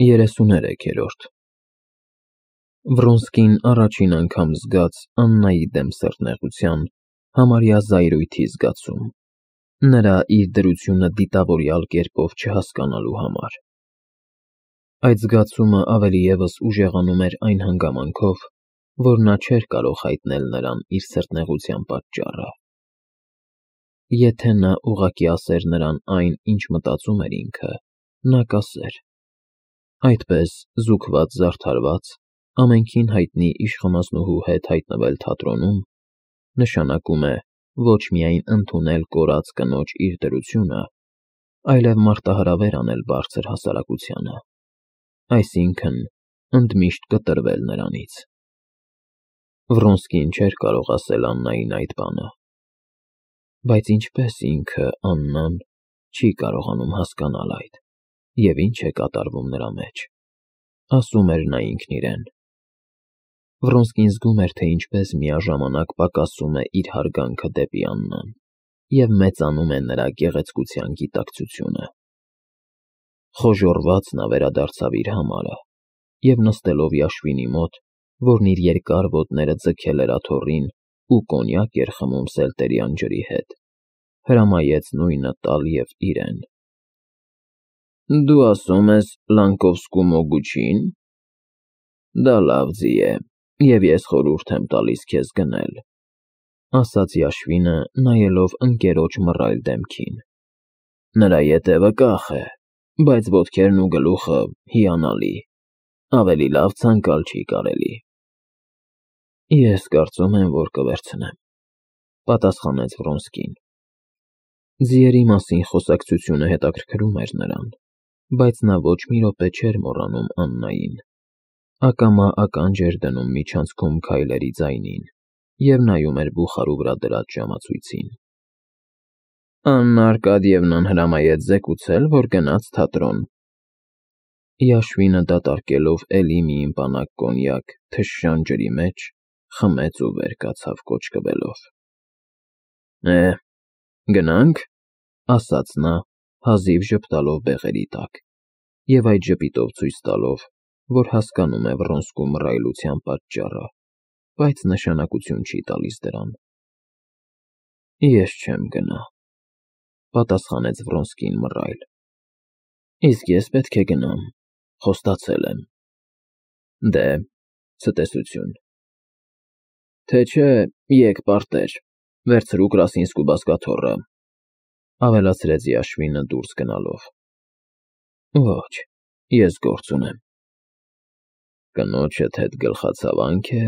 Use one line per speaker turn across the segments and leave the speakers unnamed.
33-րդ Վրոնսկին առաջին անգամ զգաց Աննայի դեմ սրտնեղության, համարյա զայրույթի զգացում, նրա իր դրությունը դիտավորյալ կերպով չհասկանալու համար։ Այդ զգացումը ավելի ևս ուժեղանում էր այն հանգամանքով, որ նա չէր կարող հայտնել նրան իր սրտնեղության պատճառը։ Եթե նա ուղղակի ասեր նրան այն, ինչ մտածում էր ինքը, նա կասեր. այդպես, զուգված-զարդարված, ամենքին հայտնի իշխանասնուհու հետ հայտնվել թատրոնում, նշանակում է ոչ միայն ընդունել կորած կնոջ իր դրությունը, այլև մարտահրավեր անել բարձր հասարակությանը, այսինքն՝ ընդմիշտ կտրվել նրանից։ Վրոնսկին չէր կարող ասել Աննային այդ բանը, բայց ինչպես ինքը, Աննան, չի կարողանում հասկանալ այդ, և ինչ է կատարվում նրա մեջ, ասում էր նա ինքն իրեն։ Վրոնսկին զգում էր, թե ինչպես միաժամանակ պակասում է իր հարգանքը դեպի Աննան և մեծանում է նրա գեղեցկության գիտակցությունը։ Խոժոռված նա վերադարձավ իր համարը և նստելով යաշվինի մոտ, որն իր երկար ոտները ձգել էր աթոռին ու կոնյակ էր խմում սելտերյան ջրի հետ, հրամայեց նույնը տալ և իրեն։ Դու ասում ես Լանկովսկու մոգուչի՞ն։ Դա լավ ձի է, և ես խորհուրդ եմ տալիս քեզ գնել, ասաց යաշվինը, նայելով ընկերոջ մռայլ դեմքին։ Նրա ետևը կախ է, բայց ոտքերն ու գլուխը՝ հիանալի, ավելի լավ ցանկալ չի կարելի։ Ես կարծում եմ, որ կվերցնեմ, պատասխանեց Վրոնսկին։ Ձիերի մասին խոսակցությունը հետաքրքրում էր նրան, բայց նա ոչ մի րոպե չէր մոռանում Աննային, ակամա ականջ էր դնում միջանցքում քայլերի ձայնին և նայում էր բուխարու վրա դրած ժամացույցին։ Աննա Արկադիևնան հրամայեց զեկուցել, որ գնաց թատրոն։ යաշվինը դատարկելով էլի մի իմպանակ կոնյակ թշշան ջրի մեջ, խմեց ու վեր կացավ կոճկվելով։ Գնա՞նք, ասաց նա, հազիվ ժպտալով բեղերի տակ, և այդ ժպիտով ցույց տալով, որ հասկանում է Վրոնսկու մռայլության պատճառը, բայց նշանակություն չի տալիս դրան։ Ես չեմ գնա, պատասխանեց Վրոնսկին մռայլ։ Իսկ ես պետք է գնամ, խոստացել եմ։ Դե, ցտեսություն։ Թե չէ, եկ պարտեր, վերցրու Կրասինսկու բազկաթոռը, ավելացրեց ಯաշվինը դուրս գնալով։ Ոչ, ես գործ ունեմ։ Կնոջդ հետ գլխացավանք է,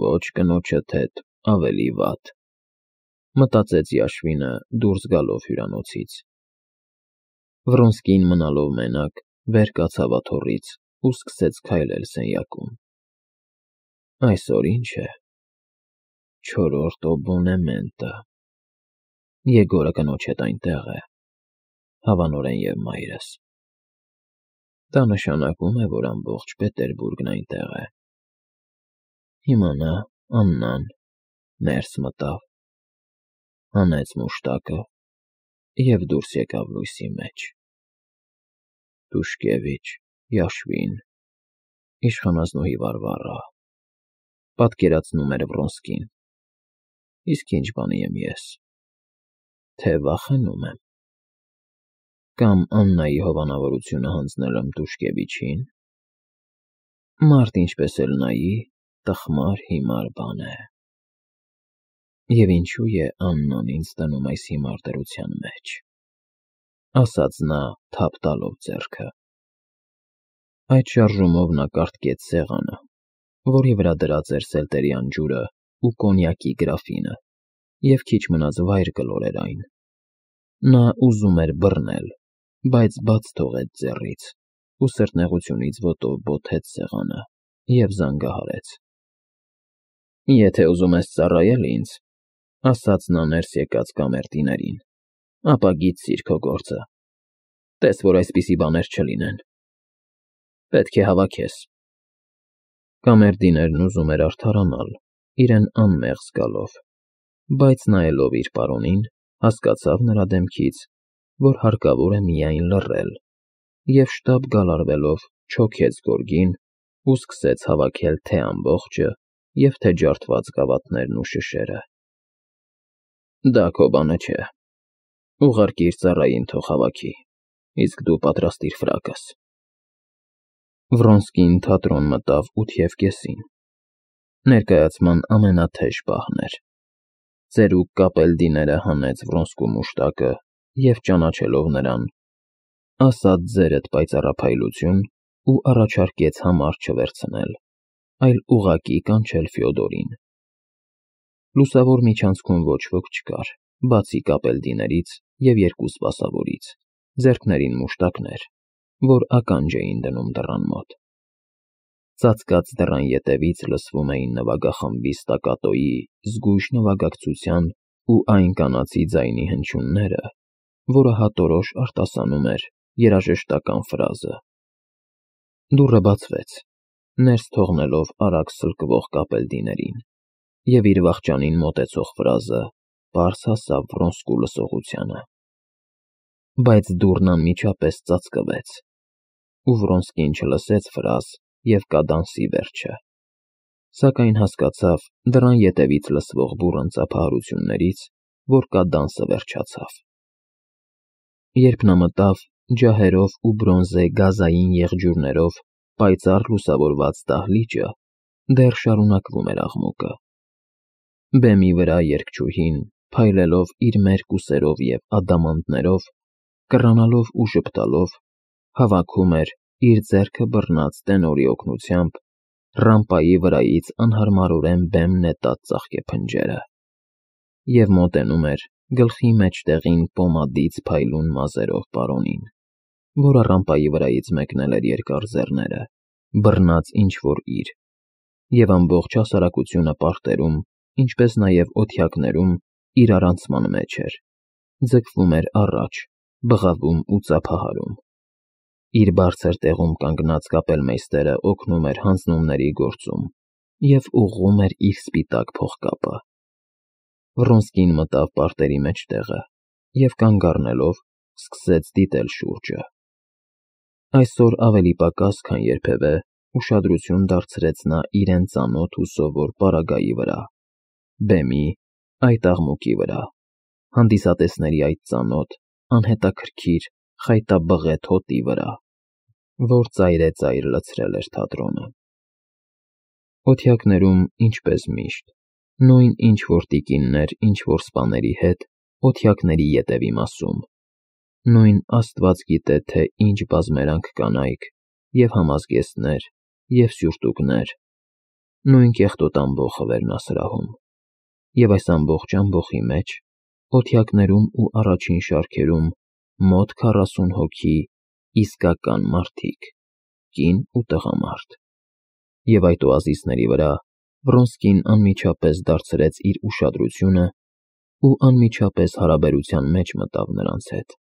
ոչ կնոջդ հետ ավելի վատ, մտածեց ಯաշվինը դուրս գալով հյուրանոցից։ Վրոնսկին մնալով մենակ, վեր կացավ աթոռից ու սկսեց քայլել սենյակում։ Այսօր ինչ է։ Չորրորդ օբոնեմենտը։ Եգորը կնոջ հետ այնտեղ է, հավանորեն և մայրս։ Դա նշանակում է, որ ամբողջ Պետերբուրգն այնտեղ է։ Հիմա նա, Աննան, ներս մտավ, հանեց մուշտակը և դուրս եկավ լույսի մեջ։ Տուշկևիչ, ಯաշվին, իշխանասնուհի Վարվարա, պատկերացնում էր Վրոնսկին։ Իսկ ինչ բանի եմ ես, թե վախենում եմ։ Կամ Աննայի հովանավորությունը հանձնել եմ Տուշկևիչին։ Մարդ ինչպես էլ նայի, տխմար հիմար բան է։ Եվ ինչու է Աննան ինձ դնում այս հիմար դրության մեջ, ասաց նա թափ տալով ձեռքը։ Այդ շարժումով նա կառթկեց սեղանը, որի վրա դրած էր սելտերյան ջուրը ու կոնյակի գրաֆինը, և քիչ մնաց վայր կլորեր այն։ Նա ուզում էր բռնել, բայց բաց թողեց ձեռից ու սրտնեղությունից ոտով բոթեց սեղանը և զանգահարեց։ Եթե ուզում ես ծառայել ինձ, ասաց նա ներս եկած կամերտիներին, ապա գիտցիր քո գործը։ Տես, որ այսպիսի բաներ չլինեն։ Պետք է հավաքես։ Կամերդիներն ուզում էր արդարանալ, իրեն անմեղ զգալով, բայց նայելով իր պարոնին, հասկացավ նրա դեմքից, որ հարկավոր է միայն լռել, և շտապ գալարվելով չոքեց գորգին ու սկսեց հավաքել թե ամբողջը և թե ջարդված գավաթներն ու շշերը։ Դա քո բանը չէ, ուղարկիր ծառային թող հավաքի, իսկ դու պատրաստիր ֆրակս։ Վրոնսկին թատրոն մտավ 8:30. Ներկայացման ամենաթեժ պահն էր։ Ծերուկ կապելդիները հանեց Վրոնսկու մուշտակը և, ճանաչելով նրան, ասաց ձերդ պայծառափայլություն ու առաջարկեց համար չվերցնել, այլ ուղղակի կանչել Ֆյոդորին։ Լուսավոր միջանցքում ոչ ոք չկար, բացի կապելդիներից և երկու սպասավորից, ձեռքներին մուշտակներ, որ ականջ էին դնում դռան մոտ։ Ծածկած դռան ետևից լսվում էին նվագախմբի ստակատոյի, զգույշ նվագակցության ու այն կանացի ձայնի հնչյունները, որը հատորոշ արտասանում էր երաժշտական ֆրազը։ Դուռը բացվեց, ներս թողնելով արագ սլկվող կապելդիներին, և իր վախճանին մոտեցող ֆրազը պարզ հասավ Վրոնսկու լսողությանը։ Բայց դուռն անմիջապես ծածկվեց, ու Վրոնսկին չլսեց ֆրազ և կադանսի վերջը, սակայն հասկացավ դռան ետևից լսվող բուռն ծափահարություններից, որ կադանսը վերջացավ։ Երբ նա մտավ ջահերով ու բրոնզե գազային եղջյուրներով պայծառ լուսավորված դահլիճը, դեռ շարունակվում էր աղմուկը։ Բեմի վրա երգչուհին, փայլելով իր մերկ ուսերով և ադամանդներով, կռանալով ու ժպտալով, հավաքում էր իր ձեռքը բռնած տենորի օգնությամբ ռամպայի վրայից անհարմարորեն բեմ նետած ծաղկեփնջերը, և մոտենում էր գլխի մեջտեղին պոմադից փայլուն մազերով պարոնին, որը ռամպայի վրայից մեկնել էր երկար ձեռները, բռնած ինչ-որ և ամբողջ հասարակությունը պարտերում, ինչպես նաև օթյակներում իրարանցման մեջ էր, ձգվում էր առաջ, բղավում ու ծափահարում։ Իր բարձր տեղում կանգնած կապելմեյստերը օգնում էր հանձնումների գործում և ուղղում էր իր սպիտակ փողկապը։ Վրոնսկին մտավ պարտերի մեջտեղը և, կանգ առնելով, սկսեց դիտել շուրջը։ Այսօր ավելի պակաս, քան երբևէ, ուշադրություն դարձրեց նա իրեն ծանոթ ու սովոր պարագայի վրա, բեմի, այդ աղմուկի վրա, հանդիսատեսների այդ ծանոթ, անհետաքրքիր, խայտաբղետ հոտի վրա, որ ծայրեծայր լցրել էր թատրոնը։ Օթյակներում, ինչպես միշտ, նույն ինչ-որ տիկիններ ինչ-որ սպաների հետ օթյակների ետևի մասում, նույն աստված գիտե թե ինչ բազմերանք կանայք և համազգեստներ և սյուրտուկներ, նույն կեղտոտ ամբոխը վերնասրահում, և այս ամբողջ ամբոխի մեջ, օթյակներում ու առաջին շարքերում մոտ 40 հոգի իսկական մարդիկ, կին ու տղամարդ, և այդ օազիսների վրա Վրոնսկին անմիջապես դարձրեց իր ուշադրությունը ու անմիջապես հարաբերության մեջ մտավ նրանց հետ։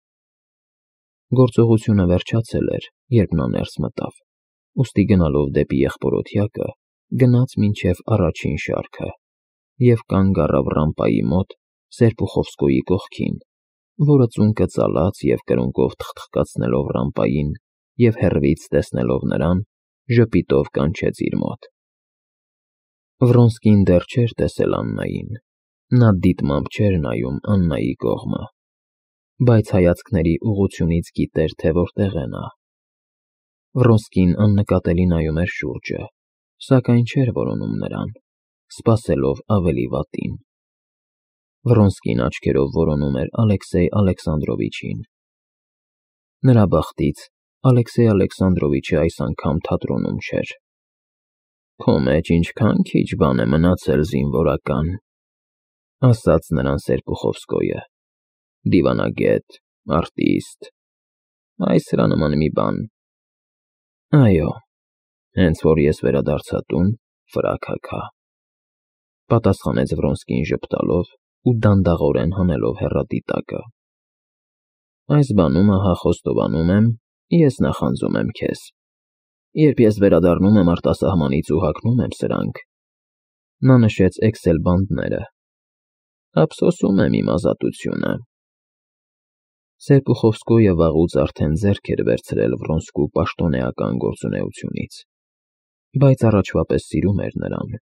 Գործողությունը վերջացել էր, երբ նա ներս մտավ, ուստի գնալով դեպի եղբոր-օթյակը, գնաց մինչև առաջին շարքը և կանգ առավ ռամպայի մոտ Սերպուխովսկոյի կողքին, որը ծունկը ծալած և կրունկով թխթխկացնելով ռամպային և հեռվից տեսնելով նրան, ժպիտով կանչեց իր մոտ։ Վրոնսկին դեռ չէր տեսել Աննային, նա դիտմամբ չէր նայում Աննայի կողմը, բայց հայացքների ուղղությունից գիտեր, թե որտեղ է նա։ Վրոնսկին աննկատելի նայում էր շուրջը, սակայն չէր որոնում նրան, սպասելով ավելի վատին։ Վրոնսկին աչքերով որոնում էր Ալեքսեյ Ալեքսանդրովիչին։ Նրա բախտից Ալեքսեյ Ալեքսանդրովիչը այս անգամ թատրոնում չէր։ «Քո մեջ ինչքան քիչ բան է մնացել զինվորական», ասաց նրան Սերպուխովսկոյը, «դիվանագետ, արտիստ, այս սրա նման մի բան»։ Այո, հենց որ ես վերադարձա տուն, ֆրակ հագա, պատասխանեց Վրոնսկին ժպտալով ու դանդաղորեն հանելով հեռադիտակը։ Այս բանումը հա խոստովանում եմ, ես նախանձում եմ քեզ։ Երբ ես վերադառնում եմ արտասահմանից ու հագնում եմ սրանք, նա նշեց էքսել բանդները, ափսոսում եմ իմ ազատությունը։ Սերպուխովսկոյը վաղուց արդեն ձեռք էր վերցրել Վրոնսկու պաշտոնեական գործունեությունից, բայց առաջվա պես սիրում էր նրան,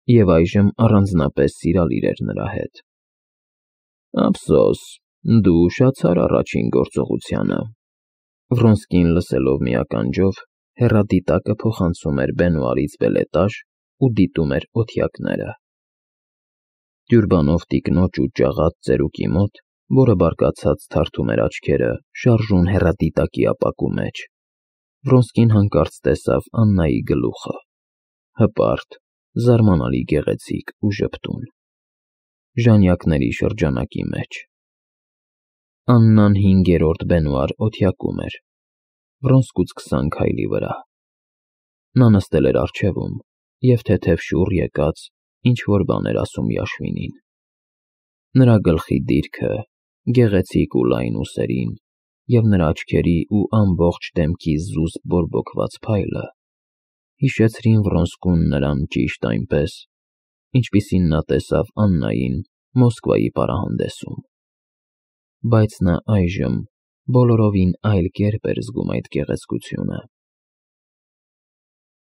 և այժմ առանձնապես սիրալիր էր նրա հետ։ Ափսոս, դու ուշացար առաջին գործողությանը։ Վրոնսկին լսելով մի ականջով, հեռադիտակը փոխանցում էր բենուարից բելետաժ ու դիտում էր օթյակները։ Տյուրբանով տիկնոջ ու ճաղած ծերուկի մոտ, որը բարկացած թարթում էր աչքերը շարժուն հեռադիտակի ապակու մեջ, Վրոնսկին հանկարծ տեսավ Աննայի գլուխը, հպարտ, զարմանալի գեղեցիկ ու ժպտուն, ժանյակների շրջանակի մեջ։ Աննան 5-րդ բենուար օթյակում էր, Վրոնսկուց 20 քայլի վրա։ Նա նստել էր առջևում և թեթև շուռ եկած ինչ֊որ բան էր ասում ಯաշվինին։ Նրա գլխի դիրքը, գեղեցիկ ու լայն ուսերին և նրա աչքերի ու ամբողջ դեմքի զուսպ բորբոքված փայլը հիշեցրին Վրոնսկուն նրան ճիշտ այնպես, ինչպիսին նա տեսավ Աննային Մոսկվայի պարահանդեսում։ Բայց նա այժմ բոլորովին այլ կերպ էր զգում այդ գեղեցկությունը։